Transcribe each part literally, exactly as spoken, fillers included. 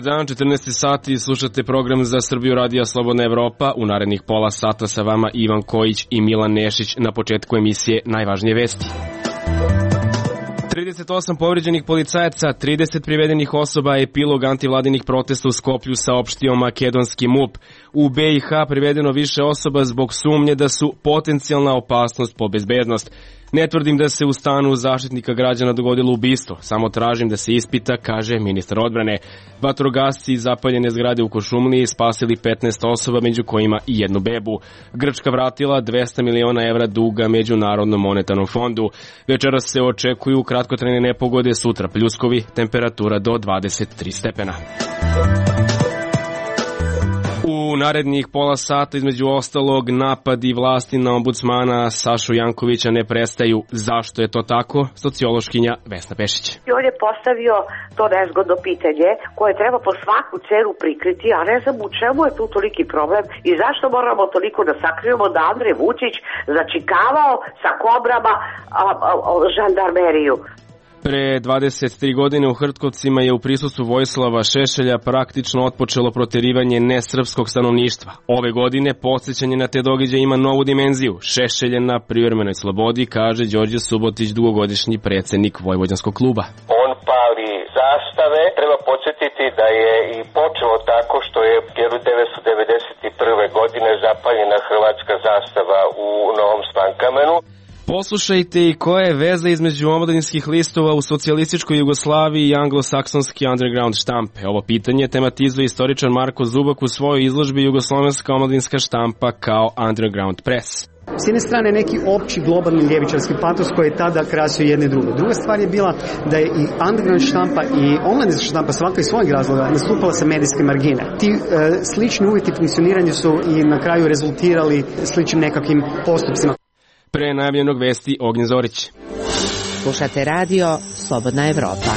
dan, četrnaesti sati, slušate program Za Srbiju radija Slobodna Evropa. U narednih pola sata sa vama Ivan Kojić i Milan Nešić. Na početku emisije najvažnije vesti. trideset osam povređenih policajaca, trideset privedenih osoba, epilog antivladinih protesta u Skoplju, saopštio makedonski M U P. U B i H privedeno više osoba zbog sumnje da su potencijalna opasnost po bezbednost. Ne tvrdim da se u stanu Zaštitnika građana dogodilo ubistvo, samo tražim da se ispita, kaže ministar odbrane. Vatrogasci iz zapaljene zgrade u Kuršumliji spasili petnaest osoba, među kojima i jednu bebu. Grčka vratila dvesta miliona evra duga Međunarodnom monetarnom fondu. Večeras se očekuju kratkotrajne nepogode, sutra pljuskovi, temperatura do dvadeset tri stepena. U narednih pola sata, između ostalog, napadi vlasti na ombudsmana Sašu Jankovića ne prestaju. Zašto je to tako? Sociološkinja Vesna Pešić. On je postavio to nezgodno pitanje koje treba po svaku cenu prikriti, a ne znam u čemu je tu toliki problem i zašto moramo toliko da sakrijemo da Andrej Vučić začikavao sa kobrama a, a, a, žandarmeriju. Pre dvadeset tri godine u Hrtkovcima je u prisustvu Vojislava Šešelja praktično otpočelo proterivanje nesrpskog stanovništva. Ove godine podsjećanje na te događaje ima novu dimenziju. Šešelj je na privremenoj slobodi, kaže Đorđe Subotić, dugogodišnji predsednik Vojvođanskog kluba. On pali zastave. Treba podsjetiti da je i počelo tako što je hiljadu devetsto devedeset prve. godine zapaljena hrvatska zastava u Novom Slankamenu. Poslušajte i koja je veza između omladinskih listova u socijalističkoj Jugoslaviji i anglosaksonski underground štampe. Ovo pitanje tematizuje istoričar Marko Zubak u svojoj izložbi Jugoslovenska omladinska štampa kao underground press. S jedne strane neki opći globalni ljevičarski patos koji je tada krasio jedne i druge. Druga stvar je bila da je i underground štampa i omladinska štampa svaka iz svojeg razloga nastupala sa medijske margine. Ti e, slični uvjeti funkcioniranja su i na kraju rezultirali sličnim nekakvim postupcima. Pre najavljenog vesti Ognjen Zorić. Slušate radio Slobodna Evropa.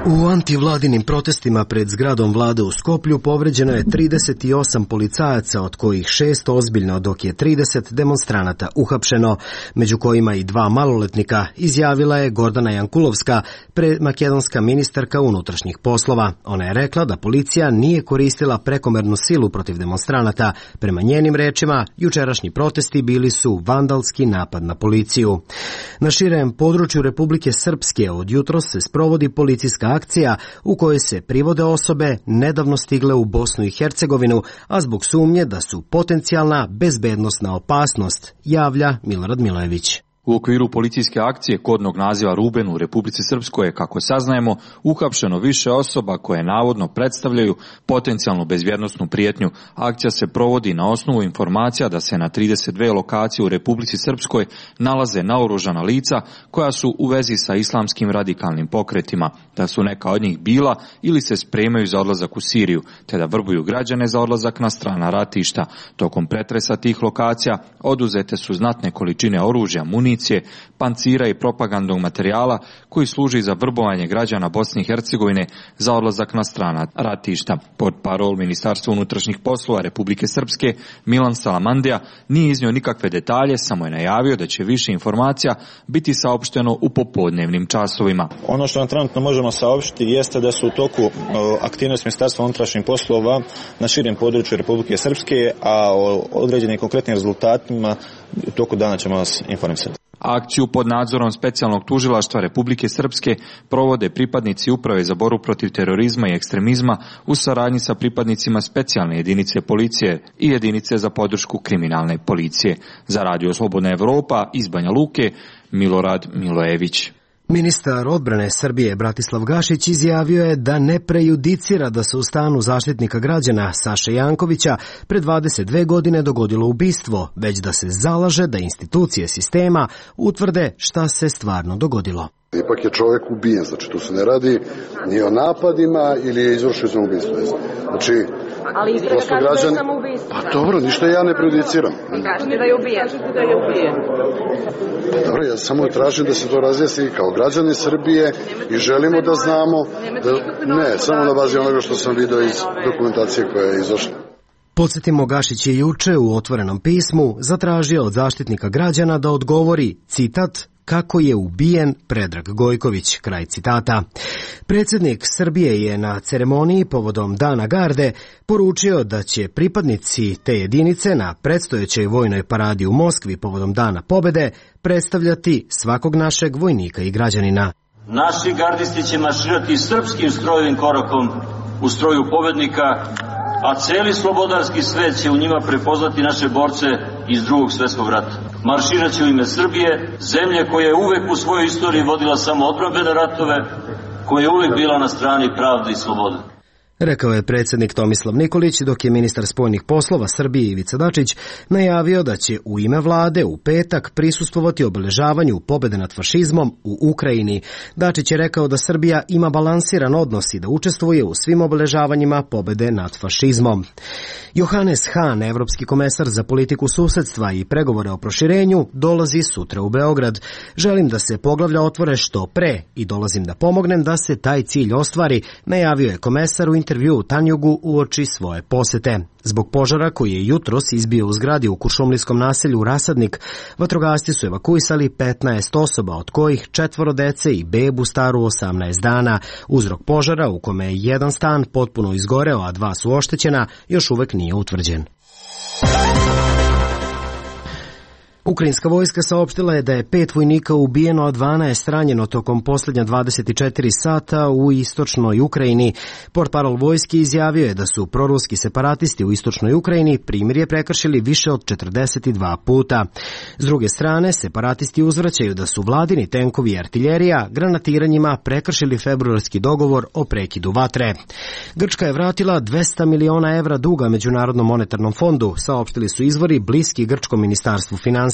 U antivladinim protestima pred zgradom vlade u Skoplju povređeno je trideset osam policajaca, od kojih šest ozbiljno, dok je trideset demonstranata uhapšeno, među kojima i dva maloletnika, izjavila je Gordana Jankulovska, makedonska ministarka unutrašnjih poslova. Ona je rekla da policija nije koristila prekomernu silu protiv demonstranata. Prema njenim rečima, jučerašnji protesti bili su vandalski napad na policiju. Na širem području Republike Srpske od jutros se sprovodi policijska akcija u kojoj se privode osobe nedavno stigle u Bosnu i Hercegovinu, a zbog sumnje da su potencijalna bezbednosna opasnost, javlja Milorad Milojević. U okviru policijske akcije kodnog naziva Ruben u Republici Srpskoj je, kako saznajemo, uhapšeno više osoba koje navodno predstavljaju potencijalnu bezbjednosnu prijetnju. Akcija se provodi na osnovu informacija da se na trideset dve lokacije u Republici Srpskoj nalaze naoružana lica koja su u vezi sa islamskim radikalnim pokretima, da su neka od njih bila ili se spremaju za odlazak u Siriju, te da vrbuju građane za odlazak na strana ratišta. Tokom pretresa tih lokacija oduzete su znatne količine oružja, municije, pancira i propagandnog materijala koji služi za vrbovanje građana Bosne i Hercegovine za odlazak na strana ratišta. Pod parol Ministarstva unutrašnjih poslova Republike Srpske Milan Salamandija nije iznio nikakve detalje, samo je najavio da će više informacija biti saopšteno u popodnevnim časovima. Ono što nam trenutno možemo saopštiti jeste da su u toku aktivnosti Ministarstva unutrašnjih poslova na širem području Republike Srpske, a o određenim konkretnim rezultatima u toku dana ćemo vas informisati. Akciju pod nadzorom specijalnog tužilaštva Republike Srpske provode pripadnici Uprave za borbu protiv terorizma i ekstremizma u saradnji sa pripadnicima specijalne jedinice policije i jedinice za podršku kriminalne policije. Za Radio Slobodna Evropa iz Banja Luke, Milorad Milojević. Ministar odbrane Srbije Bratislav Gašić izjavio je da ne prejudicira da se u stanu Zaštitnika građana Saše Jankovića pre dvadeset dve godine dogodilo ubistvo, već da se zalaže da institucije sistema utvrde šta se stvarno dogodilo. Ipak je čovjek ubijen, znači tu se ne radi ni o napadima ili je izvršio samoubistvo. Znači, ali istraga kaže da je samoubistvo. Pa dobro, ništa ja ne prejudiciram. Kažete da je ubijen. Kažete da je ubijen. Pa dobro, ja samo tražim da se to razjasni kao građani Srbije i želimo da znamo. Da, ne, samo na bazi onoga što sam vidio iz dokumentacije koja je izašla. Podsjetimo, Gašić je juče u otvorenom pismu zatražio od Zaštitnika građana da odgovori, citat, kako je ubijen Predrag Gojković, kraj citata. Predsjednik Srbije je na ceremoniji povodom Dana garde poručio da će pripadnici te jedinice na predstojećoj vojnoj paradi u Moskvi povodom Dana pobede predstavljati svakog našeg vojnika i građanina. Naši gardisti će marširati srpskim strojevim korakom u stroju pobednika, a celi slobodarski svet će u njima prepoznati naše borce iz drugog svjetskog rata. Marširat će u ime Srbije, zemlje koja je uvek u svojoj istoriji vodila samo odbrambene ratove, koja je uvek bila na strani pravde i slobode. Rekao je predsjednik Tomislav Nikolić, dok je ministar spoljnih poslova Srbije Ivica Dačić najavio da će u ime vlade u petak prisustvovati obeležavanju pobede nad fašizmom u Ukrajini. Dačić je rekao da Srbija ima balansiran odnos i da učestvuje u svim obeležavanjima pobede nad fašizmom. Johannes Hahn, evropski komesar za politiku susedstva i pregovore o proširenju, dolazi sutra u Beograd. Želim da se poglavlja otvore što pre i dolazim da pomognem da se taj cilj ostvari, najavio je komesar u intervju u Tanjugu uoči svoje posete. Zbog požara koji je jutros izbio u zgradi u kuršumlijskom naselju Rasadnik, vatrogasci su evakuisali petnaest osoba, od kojih četvoro dece i bebu staru osamnaest dana. Uzrok požara, u kome je jedan stan potpuno izgoreo, a dva su oštećena, još uvek nije utvrđen. Ukrajinska vojska saopštila je da je pet vojnika ubijeno, a dvanaest ranjeno tokom posljednja dvadeset četiri sata u istočnoj Ukrajini. Portparol vojske izjavio je da su proruski separatisti u istočnoj Ukrajini primirje prekršili više od četrdeset dva puta. S druge strane, separatisti uzvraćaju da su vladini tenkovi i artiljerija granatiranjima prekršili februarski dogovor o prekidu vatre. Grčka je vratila dvesta miliona evra duga Međunarodnom monetarnom fondu, saopštili su izvori bliski grčkom ministarstvu finansija.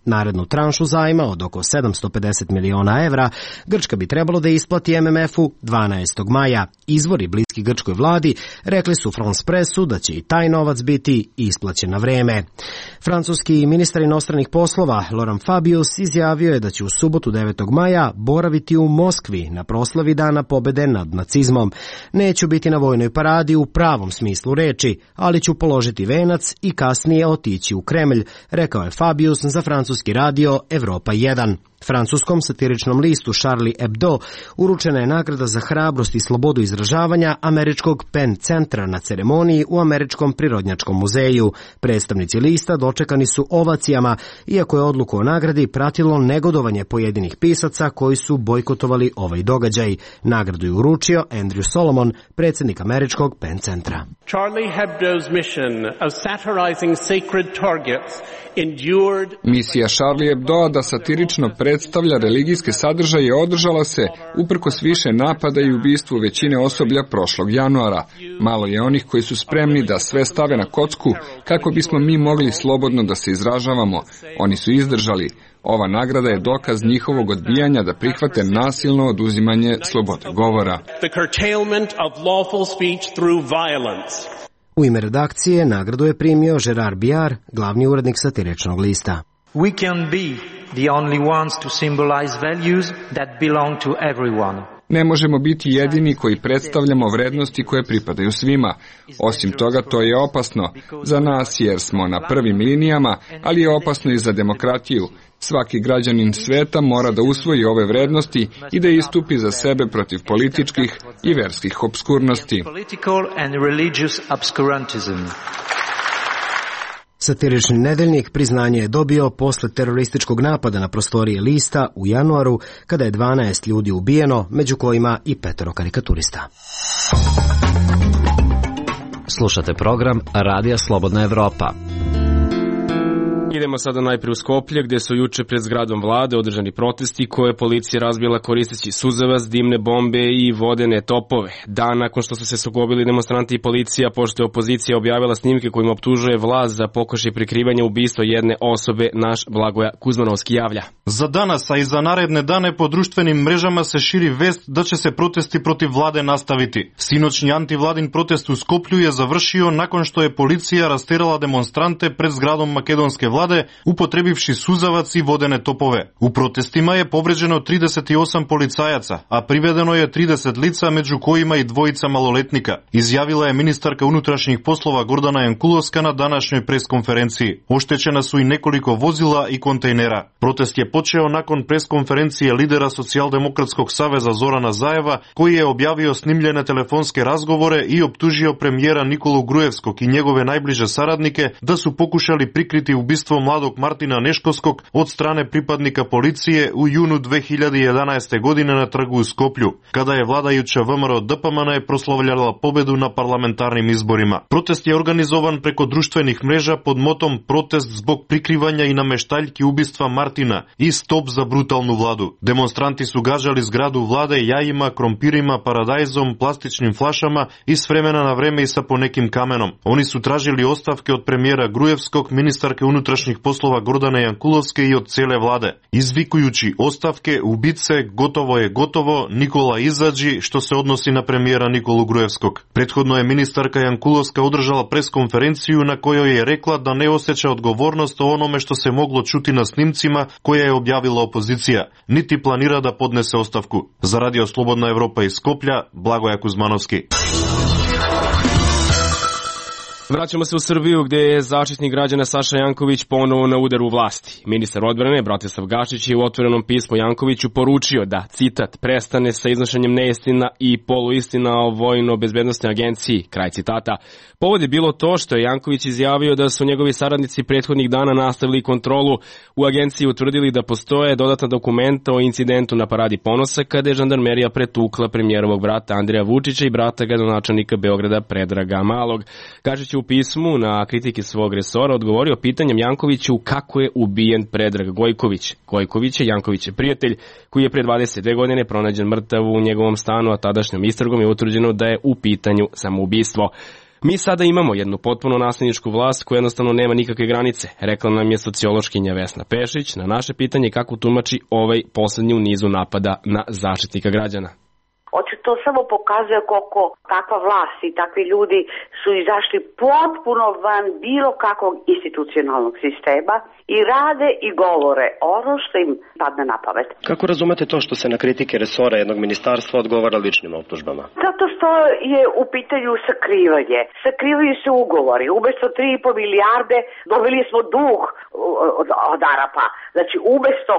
Narednu tranšu zajma od oko sedamsto pedeset miliona evra Grčka bi trebalo da isplati M M F-u dvanaestog maja. Izvori bliski grčkoj vladi rekli su France Pressu da će i taj novac biti isplaćen na vreme. Francuski ministar inostranih poslova Laurent Fabius izjavio je da će u subotu devetog maja boraviti u Moskvi na proslavi Dana pobede nad nacizmom. Neću biti na vojnoj paradi u pravom smislu reči, ali ću položiti venac i kasnije otići u Kremlj, rekao je Fabius za francuski radio Evropa jedan. Francuskom satiričnom listu Charlie Hebdo uručena je nagrada za hrabrost i slobodu izražavanja američkog Penn centra na ceremoniji u Američkom prirodnjačkom muzeju. Predstavnici lista dočekani su ovacijama, iako je odluku o nagradi pratilo negodovanje pojedinih pisaca koji su bojkotovali ovaj događaj. Nagradu je uručio Andrew Solomon, predsjednik američkog Penn centra. Charlie Hebdo's mission of satirizing sacred targets endured... Misija Charlie Hebdoa da satirično predstavlja religijske sadržaje održala se uprkos više napada i ubistvu većine osoblja prošlog januara. Malo je onih koji su spremni da sve stave na kocku kako bismo mi mogli slobodno da se izražavamo. Oni su izdržali. Ova nagrada je dokaz njihovog odbijanja da prihvate nasilno oduzimanje slobode govora. U ime redakcije nagradu je primio Gerard Biar, glavni urednik satiričnog lista. We can be the only ones to symbolize values that belong to everyone. Ne možemo biti jedini koji predstavljamo vrednosti koje pripadaju svima. Osim toga, to je opasno za nas jer smo na prvim linijama, ali je opasno i za demokratiju. Svaki građanin sveta mora da usvoji ove vrednosti i da istupi za sebe protiv političkih i verskih obskurnosti. Satirični nedeljnik priznanje je dobio posle terorističkog napada na prostorije lista u januaru, kada je dvanaest ljudi ubijeno, među kojima i petoro karikaturista. Slušate program Radija Slobodna Evropa. Idemo sada najprije u Skoplje, gde su juče pred zgradom vlade održani protesti koje je policija razbila koristeći suzavac, dimne bombe i vodene topove. Dan nakon što su se sukobili demonstranti i policija, pošto je opozicija objavila snimke kojim optužuje vlast za pokušaj prikrivanja ubistva jedne osobe, naš Blagoja Kuzmanovski javlja. За danas, а и за наредне дане по друштвеним мрежама се шири вест да ќе се протести против владе наставити. Синочни антивладин протест у Скопју е завршио након што е полиција растерала демонстранте пред зградом македонске владе vlade, upотребивши сузаваc и водене топове. У протестима е повреđено тридесет и осам полицајаца, а приведено е тридесет лица, меѓу којима и двојица малолетника, изјавила е министарка унутрашних послова Гордана Јанкуловска на данашњој пресконференцiji. Оштечена су и неколико возила и контејнера. Протест je počeo nakon preskonferencije lidera Socijaldemokratskog saveza Zorana Zaeva, koji je objavio snimljene telefonske razgovore i optužio premijera Nikolu Gruevskog i njegove najbliže saradnike da su pokušali prikriti ubistvo mladog Martina Neškovskog od strane pripadnika policije u junu dve hiljade jedanaeste. godine na trgu u Skoplju, kada je vladajuća V M R O D P M N proslavljala pobedu na parlamentarnim izborima. Protest je organizovan preko društvenih mreža pod motom Protest zbog prikrivanja i nameštaljki ubistva Martina i Stop za brutalnu vladu. Demonstranti su gađali zgradu vlade jajima, krompirima, paradajzom, plastičnim flašama i s vremena na vreme i sa ponekim kamenom. Oni su tražili ostavke od premijera Gruevskog, ministarke unutrašnjih poslova Gordane Jankulovske i od cele vlade, izvikujući ostavke, ubice, gotovo je gotovo, Nikola izađi, što se odnosi na premijera Nikolu Gruevskog. Prethodno je ministarka Jankulovska održala preskonferenciju na kojoj je rekla da ne osjeća odgovornost o onome što se moglo čuti na snimcima koje je objavila opozicija, niti planira da podnese ostavku. Za Radio Slobodna Evropa iz Skoplja, Blagoja Kuzmanovski. Vraćamo se u Srbiju gde je Zaštitnik građana Saša Janković ponovo na udaru vlasti. Ministar odbrane Bratislav Gašić je u otvorenom pismu Jankoviću poručio da, citat, prestane sa iznošenjem neistina i poluistina o Vojno-bezbednostnoj agenciji, kraj citata. Povod je bilo to što je Janković izjavio da su njegovi saradnici prethodnih dana nastavili kontrolu u agenciji, utvrdili da postoje dodatna dokumenta o incidentu na Paradi ponosa kada je žandarmerija pretukla premijerovog brata Andreja Vučića i brata gradonačelnika Beograda Predraga Malog. Gašić u pismu na kritike svog resora odgovorio pitanjem Jankoviću kako je ubijen Predrag Gojković. Gojković je Janković je prijatelj koji je pre dvadeset dve godine pronađen mrtav u njegovom stanu, a tadašnjom istragom je utvrđeno da je u pitanju samoubistvo. Mi sada imamo jednu potpuno nasilničku vlast koja jednostavno nema nikakve granice, rekla nam je sociološkinja Vesna Pešić na naše pitanje kako tumači ovaj poslednji u nizu napada na Zaštitnika građana. Hoće to samo pokazuje koliko takva vlast i takvi ljudi su izašli potpuno van bilo kakvog institucionalnog sistema i rade i govore ono što im padne na pamet. Kako razumete to što se na kritike resora jednog ministarstva odgovara ličnim optužbama? Zato što je u pitanju sakrivanje. Sakrivaju se ugovori. Umesto tri i po milijarde dobili smo dug od, od Arapa. Znači, umesto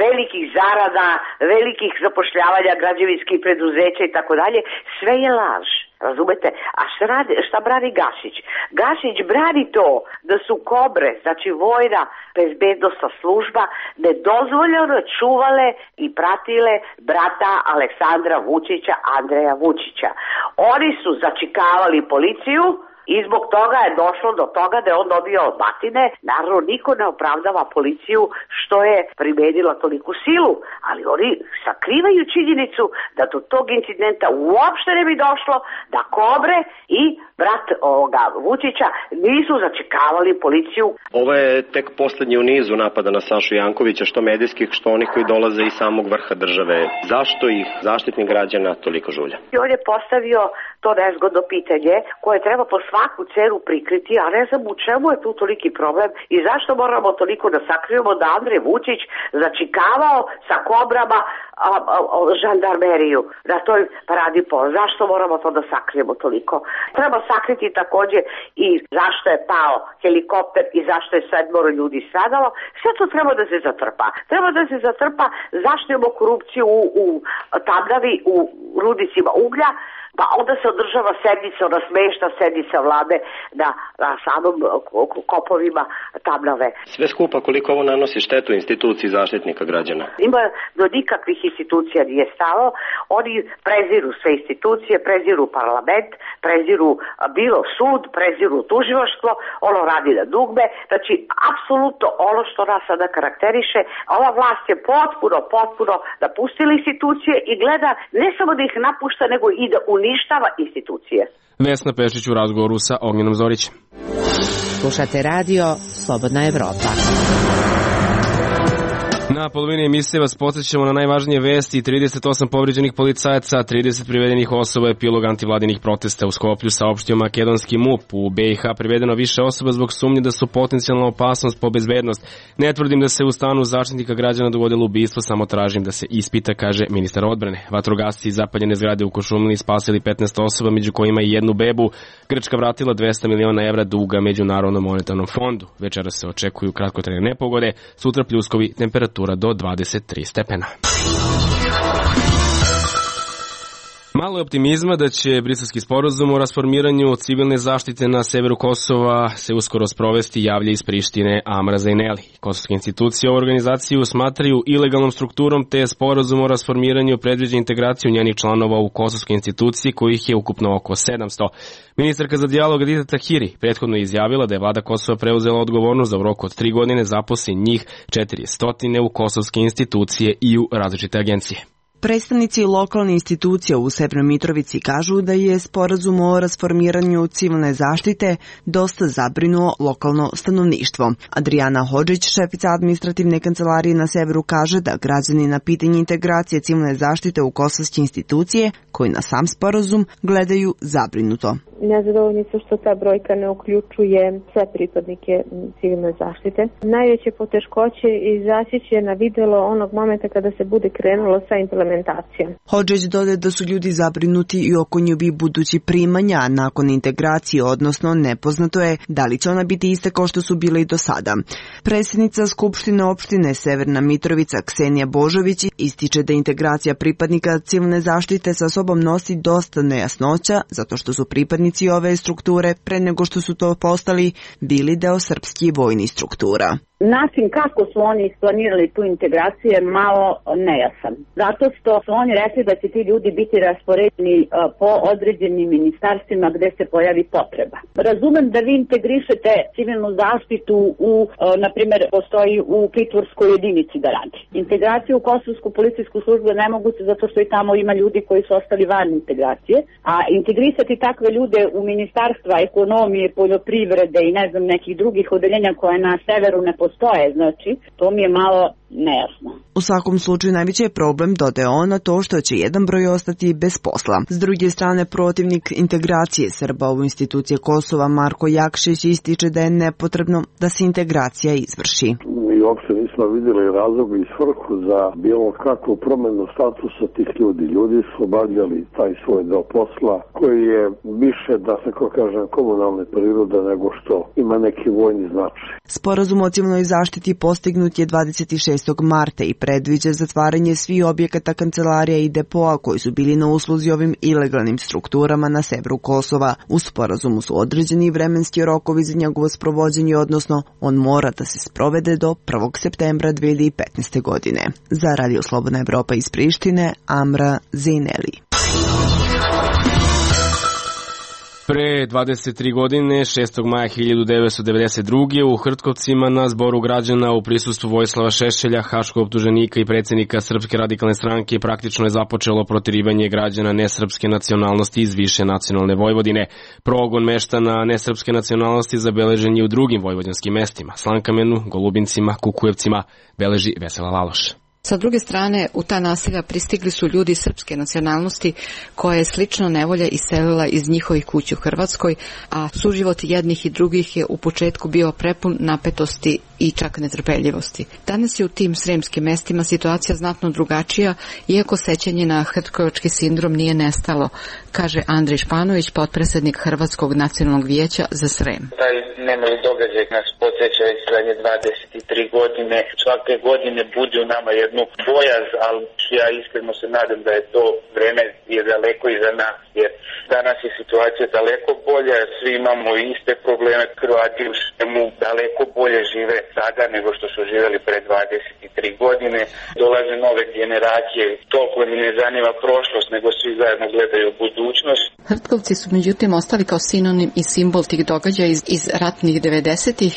velikih zarada, velikih zapošljavanja građevinskih preduzeća i tako dalje, sve je laž. Razumete? A šta, radi, šta brani Gašić? Gašić brani to da su Kobre, znači vojna bezbednosna služba, nedozvoljeno čuvale i pratile brata Aleksandra Vučića, Andreja Vučića. Oni su začikavali policiju i zbog toga je došlo do toga da je on dobio batine. Naravno, niko ne opravdava policiju što je primenila toliku silu, ali oni sakrivaju činjenicu da do tog incidenta uopšte ne bi došlo, da Kobre i brat ovoga Vučića nisu začekavali policiju. Ovo je tek poslednji u nizu napada na Sašu Jankovića, što medijskih, što onih koji dolaze iz samog vrha države. Zašto ih Zaštitnik građana toliko žulja? I on je postavio to nezgodno pitanje koje treba po svaku cenu prikriti, a ne znam u čemu je tu toliki problem i zašto moramo toliko da sakrijemo da Andrej Vučić začikavao sa Kobrama a, a, a, žandarmeriju na toj Paradi ponosa. Zašto moramo to da sakrijemo toliko? Treba sakriti takođe i zašto je pao helikopter i zašto je sedmoro ljudi stradalo. Sve to treba da se zatrpa. Treba da se zatrpa zašto imamo korupciju u, u Tamnavi, u rudnicima uglja, pa onda se održava sednica, ona smešna sednica vlade na, na samom kopovima Tamnave. Sve skupa koliko ovo nanosi štetu instituciji Zaštitnika građana? Ima do nikakvih institucija nije stalo. Oni preziru sve institucije, preziru parlament, preziru bilo sud, preziru tužilaštvo, ono radi na dugme. Znači, apsolutno ono što nas sada karakteriše, ova vlast je potpuno, potpuno napustila institucije i gleda ne samo da ih napušta, nego i da uništava institucije. Vesna Pešić u razgovoru sa Ognjenom Zorićem. Slušate radio Slobodna Evropa. Na polovini emisije vas podsjećamo na najvažnije vesti. trideset osam povređenih policajaca, trideset privedenih osoba, epilog antivladinih protesta u Skoplju, saopštio makedonski M U P. U B i H privedeno više osoba zbog sumnje da su potencijalna opasnost po bezbednost. Ne tvrdim da se u stanu Zaštitnika građana dogodilo ubistvo, samo tražim da se ispita, kaže ministar odbrane. Vatrogasci iz zapaljene zgrade u Košumliji spasili petnaest osoba, među kojima i jednu bebu. Grčka vratila dvesta miliona evra duga Međunarodnom monetarnom fondu. Večera se očekuju kratkotrajne nepogode, sutra pljuskovi, temperatura do dvadeset tri stepena. Malo je optimizma da će briselski sporazum o rasformiranju civilne zaštite na severu Kosova se uskoro sprovesti, javlja iz Prištine Amra Zejneli. Kosovske institucije ovu organizaciju smatraju ilegalnom strukturom, te sporazum o rasformiranju predviđa integraciju njenih članova u kosovske institucije, kojih je ukupno oko sedamsto. Ministarka za dijalog Edita Tahiri prethodno je izjavila da je vlada Kosova preuzela odgovornost da u roku od tri godine zaposli njih četiristo u kosovske institucije i u različite agencije. Predstavnici lokalne institucije u Severnoj Mitrovici kažu da je sporazum o rasformiranju civilne zaštite dosta zabrinuo lokalno stanovništvo. Adriana Hodžić, šefica administrativne kancelarije na severu, kaže da građani na pitanje integracije civilne zaštite u kosovske institucije, koji na sam sporazum gledaju zabrinuto. Nezadovoljni su što ta brojka ne uključuje sve pripadnike civilne zaštite. Najveće poteškoće izaći će na videlo onog momenta kada se bude krenulo sa implementacijom. Hodžić dodaje da su ljudi zabrinuti i oko njihovih budućih primanja nakon integracije, odnosno nepoznato je da li će ona biti ista kao što su bile i do sada. Predsjednica Skupštine opštine Severna Mitrovica Ksenija Božović ističe da integracija pripadnika civilne zaštite sa sobom nosi dosta nejasnoća, zato što su pripadnici ove strukture, pre nego što su to postali, bili deo srpskih vojnih struktura. Način kako su oni isplanirali tu integraciju je malo nejasan. Zato što su oni rekli da će ti ljudi biti raspoređeni po određenim ministarstvima gde se pojavi potreba. Razumem da vi integrišete civilnu zaštitu u, na primjer, postoji u pritvorskoj jedinici da radi. Integraciju u kosovsku policijsku službu je nemoguće zato što i tamo ima ljudi koji su ostali van integracije, a integrisati takve ljude u ministarstva ekonomije, poljoprivrede i ne znam nekih drugih odeljenja koje na severu ne postoje, znači, to mi je malo nejasno. U svakom slučaju najveći je problem, dodaje ona, to što će jedan broj ostati bez posla. S druge strane, protivnik integracije Srba u institucije Kosova Marko Jakšić ističe da je nepotrebno da se integracija izvrši. Mi uopšte nismo vidjeli razlog i svrhu za bilo kakvu promenu statusa tih ljudi. Ljudi su obavljali taj svoj deo posla koji je više, da se ko kažem, komunalne prirode nego što ima neki vojni značaj. Sporazum o civilnoj zaštiti postignut je dvadeset šestog marta i predviđa zatvaranje svih objekata, kancelarija i depoa koji su bili na usluzi ovim ilegalnim strukturama na severu Kosova. U sporazumu su određeni vremenski rokovi za njegovo sprovođenje, odnosno on mora da se sprovede do prvog septembra dve hiljade petnaeste. godine. Za Radio Slobodna Evropa iz Prištine, Amra Zejneli. Pre dvadeset tri godine, šestog maja hiljadu devetsto devedeset druge. u Hrtkovcima na zboru građana u prisustvu Vojislava Šešelja, haškog optuženika i predsjednika Srpske radikalne stranke, praktično je započelo protirivanje građana nesrpske nacionalnosti iz više nacionalne Vojvodine. Progon meštana nesrpske nacionalnosti zabeležen je u drugim vojvođanskim mestima, Slankamenu, Golubincima, Kukujevcima, beleži Vesela Laloš. Sa druge strane, u ta naselja pristigli su ljudi srpske nacionalnosti koje je slično nevolja iselila iz njihovih kuća u Hrvatskoj, a suživot jednih i drugih je u početku bio prepun napetosti i čak netrpeljivosti. Danas je u tim sremskim mestima situacija znatno drugačija, iako sećanje na hrtkovački sindrom nije nestalo, kaže Andrej Španović, potpredsjednik Hrvatskog nacionalnog vijeća za Srem. Taj nemali događaj nas podsjeća već zadnje dvadeset tri godine. Svake godine budi u nama jednu bojaz, ali ja iskreno se nadam da je to vreme je daleko iza nas, jer danas je situacija daleko bolja, svi imamo iste probleme, Hrvati u Sremu daleko bolje žive sada nego što su živjeli pre dvadeset tri godine. Dolaze nove generacije, toliko mi ne zanima prošlost, nego svi zajedno gledaju budućnost. Hrtkovci su međutim ostali kao sinonim i simbol tih događaja iz, iz ratnih devedesetih,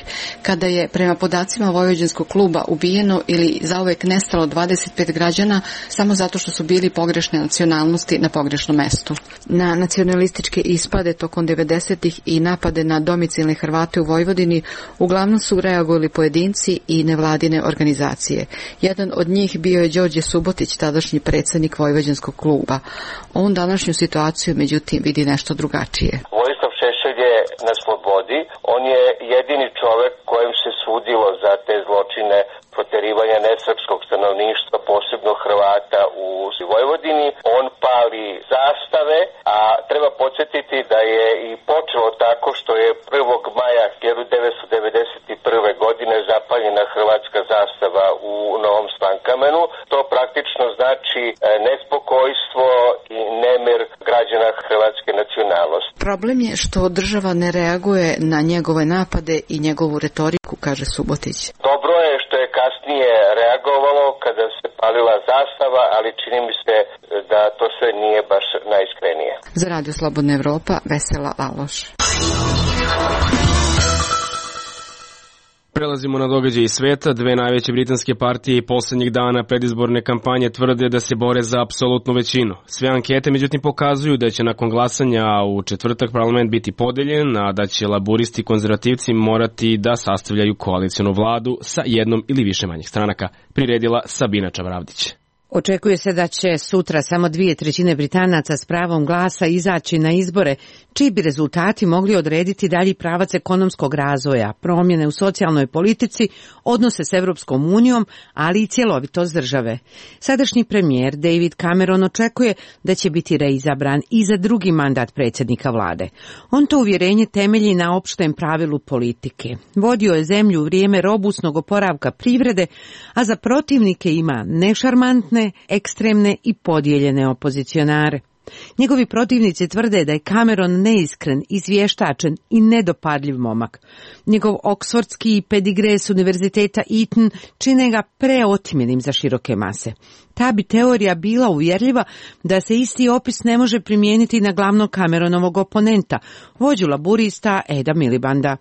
kada je prema podacima Vojvođanskog kluba ubijeno ili zauvek nestalo dvadeset pet građana samo zato što su bili pogrešne nacionalnosti na pogrešnom mestu. Na nacionalističke ispade tokom devedesetih i napade na domicilne Hrvate u Vojvodini uglavnom su reagovali pojedinci i nevladine organizacije. Jedan od njih bio je Đorđe Subotić, tadašnji predsjednik Vojvođanskog kluba. On današnju situaciju međutim vidi nešto drugačije. Vojislav Šešelj je na slobodi. On je jedini čovjek kojem se sudilo za te zločine proterivanja nesrpskog stanovništva, posebno Hrvata u Vojvodini. On pali zastave, a treba podsjetiti da je i počelo tako što je prvog maja hiljadu devetsto devedeset prve. godine zapaljena hrvatska zastava u Novom Slankamenu. To praktično znači nespokojstvo i nemir građana hrvatske nacionalnosti. Problem je što država ne reaguje na njegove napade i njegovu retoriku, kaže Subotić. Dobro je što je kasnije reagovalo kada se palila zastava, ali čini mi se da to sve nije baš najiskrenije. Za Radio Slobodna Evropa, Vesela Laloš. Prelazimo na događaj iz sveta. Dve najveće britanske partije i poslednjih dana predizborne kampanje tvrde da se bore za apsolutnu većinu. Sve ankete međutim pokazuju da će nakon glasanja u četvrtak parlament biti podeljen, a da će laburisti i konzervativci morati da sastavljaju koalicionu vladu sa jednom ili više manjih stranaka, priredila Sabina Čavravdić. Očekuje se da će sutra samo dvije trećine Britanaca s pravom glasa izaći na izbore, čiji bi rezultati mogli odrediti dalji pravac ekonomskog razvoja, promjene u socijalnoj politici, odnose s Evropskom unijom, ali i cjelovitost države. Sadašnji premijer David Cameron očekuje da će biti reizabran i za drugi mandat predsjednika vlade. On to uvjerenje temelji na opštem pravilu politike. Vodio je zemlju u vrijeme robusnog oporavka privrede, a za protivnike ima nešarmantne, ekstremne i podijeljene opozicionare. Njegovi protivnici tvrde da je Cameron neiskren, izvještačen i nedopadljiv momak. Njegov oksfordski pedigre s univerziteta Eton čine ga preotimjenim za široke mase. Ta bi teorija bila uvjerljiva da se isti opis ne može primijeniti na glavnog Cameronovog oponenta, vođu laburista Eda Milibanda.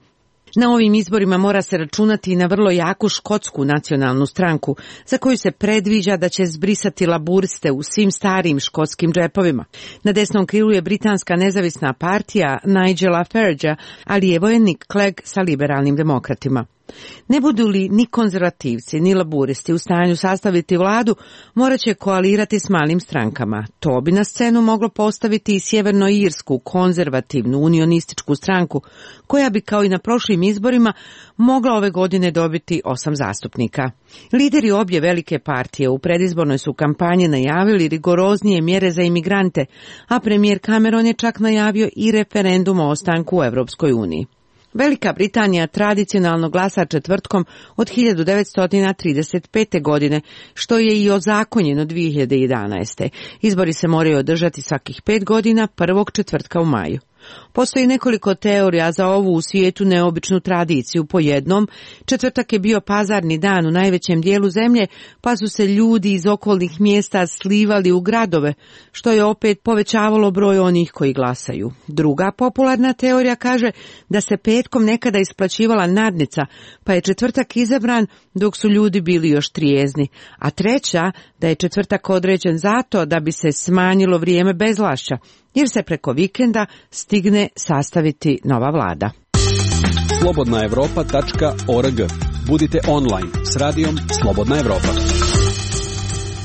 Na ovim izborima mora se računati i na vrlo jaku škotsku nacionalnu stranku, za koju se predviđa da će zbrisati laburiste u svim starijim škotskim džepovima. Na desnom krilu je britanska nezavisna partija Nigela Faragea, a lijevo je Nick Clegg sa liberalnim demokratima. Ne budu li ni konzervativci, ni laburisti u stanju sastaviti vladu, morat će koalirati s malim strankama. To bi na scenu moglo postaviti i sjevernoirsku konzervativnu unionističku stranku, koja bi kao i na prošlim izborima mogla ove godine dobiti osam zastupnika. Lideri obje velike partije u predizbornoj su kampanji najavili rigoroznije mjere za imigrante, a premijer Cameron je čak najavio i referendum o ostanku u Evropskoj uniji. Velika Britanija tradicionalno glasa četvrtkom od hiljadu devetsto trideset pete. godine, što je i ozakonjeno dvije hiljade jedanaeste. Izbori se moraju održati svakih pet godina, prvog četvrtka u maju. Postoji nekoliko teorija za ovu u svijetu neobičnu tradiciju. Po jednom, četvrtak je bio pazarni dan u najvećem dijelu zemlje, pa su se ljudi iz okolnih mjesta slivali u gradove, što je opet povećavalo broj onih koji glasaju. Druga popularna teorija kaže da se petkom nekada isplaćivala nadnica, pa je četvrtak izabran dok su ljudi bili još trijezni. A treća, da je četvrtak određen zato da bi se smanjilo vrijeme bezvlašća, jer se preko vikenda stigne sastaviti nova vlada. slobodna evropa tačka org. Budite online s radijom Slobodna Evropa.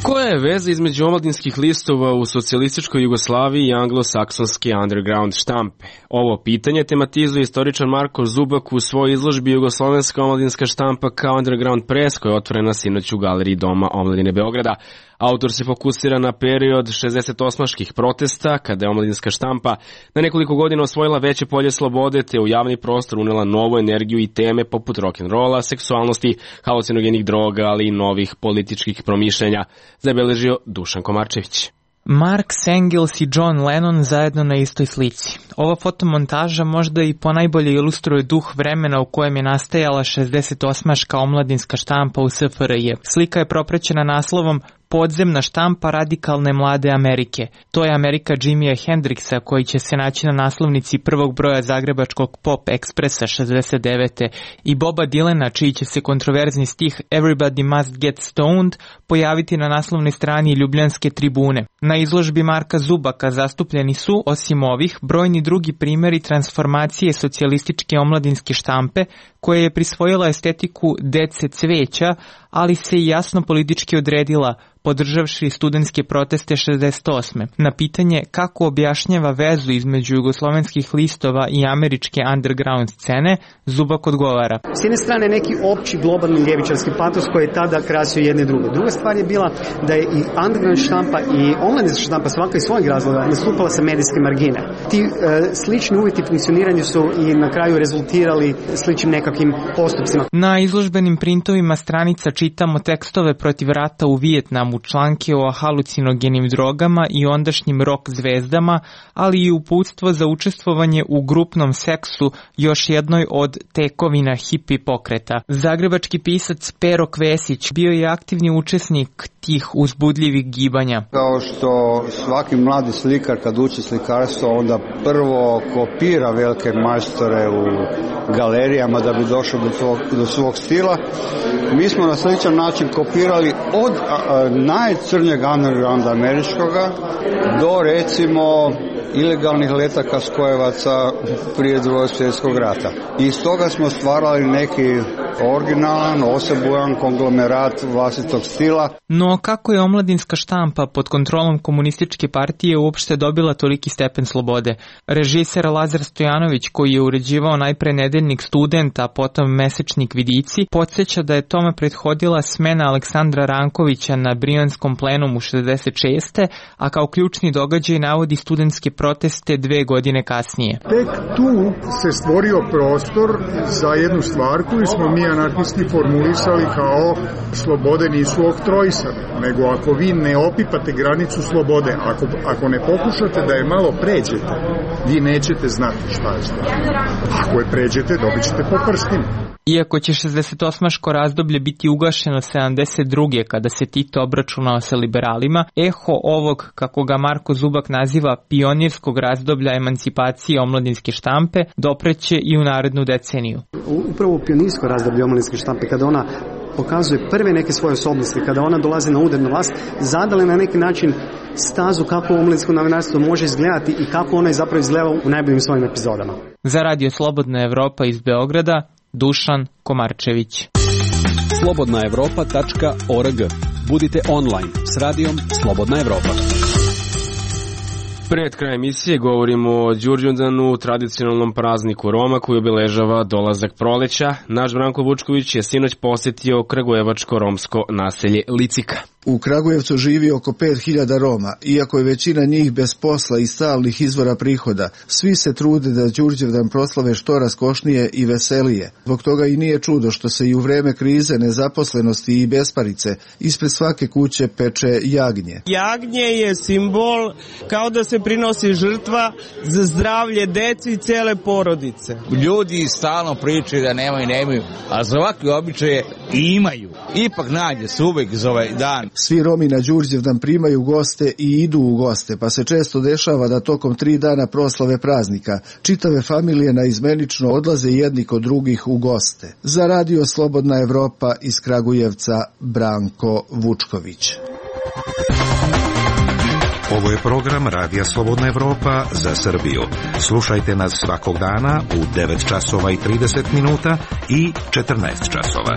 Koja je veza između omladinskih listova u socijalističkoj Jugoslaviji i anglosaksonske underground štampe? Ovo pitanje tematizuje istoričar Marko Zubak u svojoj izložbi Jugoslovenska omladinska štampa kao underground press, koja je otvorena sinoć u galeriji Doma omladine Beograda. Autor se fokusira na period šezdesetosmaških protesta, kada je omladinska štampa na nekoliko godina osvojila veće polje slobode, te u javni prostor unela novu energiju i teme poput rock'n'rolla, seksualnosti, halucinogenih droga, ali i novih političkih promišljenja, zabeležio Dušan Komarčević. Marks Engels i John Lennon zajedno na istoj slici. Ova fotomontaža možda i ponajbolje ilustruje duh vremena u kojem je nastajala šezdesetosmaška omladinska štampa u S F R J. Slika je propraćena naslovom podzemna štampa radikalne mlade Amerike. To je Amerika Jimija Hendrixa koji će se naći na naslovnici prvog broja zagrebačkog Pop Ekspresa šezdeset devete i Boba Dylana, čiji će se kontroverzni stih Everybody Must Get Stoned pojaviti na naslovnoj strani Ljubljanske tribune. Na izložbi Marka Zubaka zastupljeni su, osim ovih, brojni drugi primjeri transformacije socijalističke omladinske štampe koja je prisvojila estetiku dece cveća, ali se i jasno politički odredila, podržavši studentske proteste šezdeset osme. Na pitanje kako objašnjava vezu između jugoslovenskih listova i američke underground scene, Zubak odgovara. S jedne strane neki opći globalni ljevičarski patos koji je tada krasio jedne druge. Druga stvar je bila da je i underground štampa i omladinska štampa svaka iz svojeg razloga nastupala sa medijske margine. Ti e, slični uvjeti funkcioniranja su i na kraju rezultirali sličnim nekakvim postupcima. Na izložbenim printovima stranica čitamo tekstove protiv rata u Vijetnamu, članke o halucinogenim drogama i ondašnjim rock zvezdama, ali i uputstvo za učestvovanje u grupnom seksu, još jednoj od tekovina hipi pokreta. Zagrebački pisac Pero Kvesić bio je aktivni učesnik tih uzbudljivih gibanja. Kao što svaki mladi slikar kad uči slikarstvo onda prvo kopira velike majstore u galerijama da bi došao do svog, do svog stila. Mi smo na sličan način kopirali od a, a, najcrnjeg undergrounda američkoga do recimo ilegalnih letaka skojevaca prije Drugog svjetskog rata. I iz toga smo stvarali neki originalan, osebujan konglomerat vlastitog stila. No kako je omladinska štampa pod kontrolom komunističke partije uopšte dobila toliki stepen slobode? Režiser Lazar Stojanović, koji je uređivao najpre nedeljnik Student, a potom mesečnik Vidici, podsjeća da je tome prethodila smena Aleksandra Rankovića na Brijanskom plenumu šezdeset šeste, a kao ključni događaj navodi studentske proteste dve godine kasnije. Tek tu se stvorio prostor za jednu stvar koju smo mi anarhisti formulisali kao slobode nisu oktrojsane, nego ako vi ne opipate granicu slobode, ako, ako ne pokušate da je malo pređete, vi nećete znati šta je sloboda. Ako je pređete, dobit ćete po prstima. Iako će šezdesetosmaško razdoblje biti ugašeno sedamdeset druge kada se Tito obračunao sa liberalima, eho ovog, kako ga Marko Zubak naziva, pionirskog razdoblja emancipacije omladinske štampe dopreće i u narednu deceniju. Upravo pionirsko razdoblje omladinske štampe, kada ona pokazuje prve neke svoje osobnosti, kada ona dolazi na udar na vlast, zadale na neki način stazu kako omladinsko novinarstvo može izgledati i kako ona je zapravo izgledala u najboljim svojim epizodama. Za Radio Slobodna Evropa iz Beograda, Dušan Komarčević. slobodna evropa tačka org. Budite online s radijom Slobodna Evropa. Pred kraj emisije govorimo o Đurđundanu, tradicionalnom prazniku Roma koji obeležava dolazak proleća. Naš Branko Vučković je sinoć posjetio kragujevačko-romsko naselje Licika. U Kragujevcu živi oko pet hiljada Roma, iako je većina njih bez posla i stalnih izvora prihoda. Svi se trude da Đurđevdan proslave što raskošnije i veselije. Zbog toga i nije čudo što se i u vreme krize, nezaposlenosti i besparice ispred svake kuće peče jagnje. Jagnje je simbol kao da se prinosi žrtva za zdravlje deci i cele porodice. Ljudi stalno pričaju da nemaju, nemaju, a za ovakve običaje imaju. Ipak nađe se uvek za ovaj dan. Svi Romi na Đurđevdan primaju goste i idu u goste, pa se često dešava da tokom tri dana proslave praznika čitave familije naizmenično odlaze jedni kod drugih u goste. Za Radio Slobodna Evropa iz Kragujevca, Branko Vučković. Ovo je program Radija Slobodna Evropa za Srbiju. Slušajte nas svakog dana u devet časova i trideset minuta i četrnaest časova.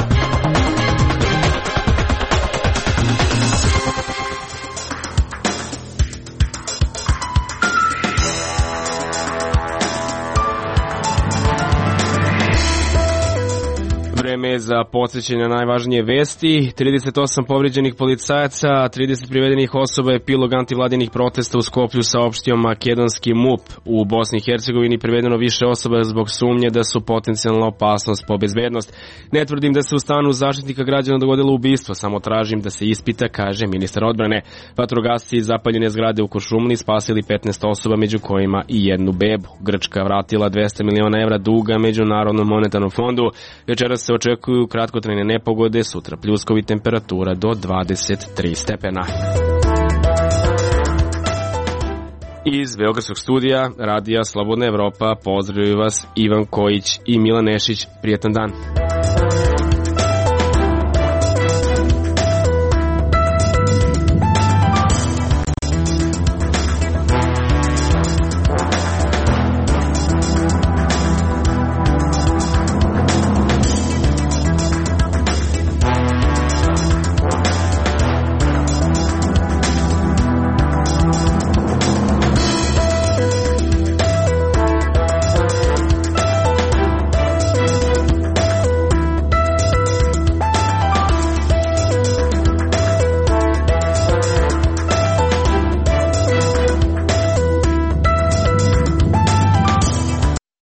Vreme za podsjećanje na najvažnije vesti. trideset osam povređenih policajaca, a trideset privedenih osoba je epilog antivladinih protesta u Skoplju, saopštio makedonski M U P. U Bosni i Hercegovini privedeno više osoba zbog sumnje da su potencijalna opasnost po bezbednost. Ne tvrdim da se u stanu Zaštitnika građana dogodilo ubistvo, samo tražim da se ispita, kaže ministar odbrane. Vatrogasci iz zapaljene zgrade u Kuršumliji spasili petnaest osoba, među kojima i jednu bebu. Grčka vratila dvesta miliona evra duga Međunarodnom monetarnom fondu. Večeras se očekuje očekuju kratkotrajne nepogode, sutra pljuskovi, temperatura do dvadeset tri stepena. Iz Beogradskog studija Radija Slobodna Evropa pozdravljaju vas Ivan Kojić i Milan Nešić. Prijetan dan.